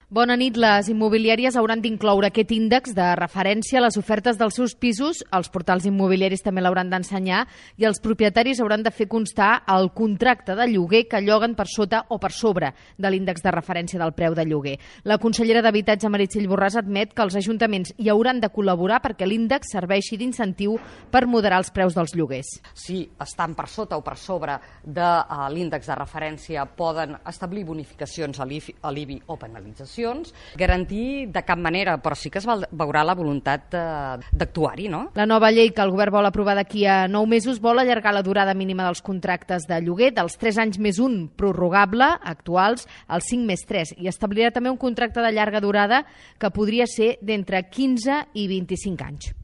Bona nit. Les immobiliàries hauran d'incloure aquest índex de referència a les ofertes dels seus pisos, els portals immobiliaris també l'hauran d'ensenyar i els propietaris hauran de fer constar el contracte de lloguer que lloguen per sota o per sobre de l'índex de referència del preu de lloguer. La consellera d'Habitatge, Meritxell Borràs, admet que els ajuntaments hi hauran de col·laborar perquè l'índex serveixi d'incentiu per moderar els preus dels lloguers. Si estan per sota o per sobre de l'índex de referència poden establir bonificacions a l'IBI o penalitzacions, garantir de cap manera, però sí que es veurà la voluntat d'actuar-hi, no? La nova llei que el govern vol aprovar d'aquí a 9 mesos vol allargar la durada mínima dels contractes de lloguer dels 3 anys més 1 prorrogable, actuals, als 5 més 3, i establirà també un contracte de llarga durada que podria ser d'entre 15 i 25 anys.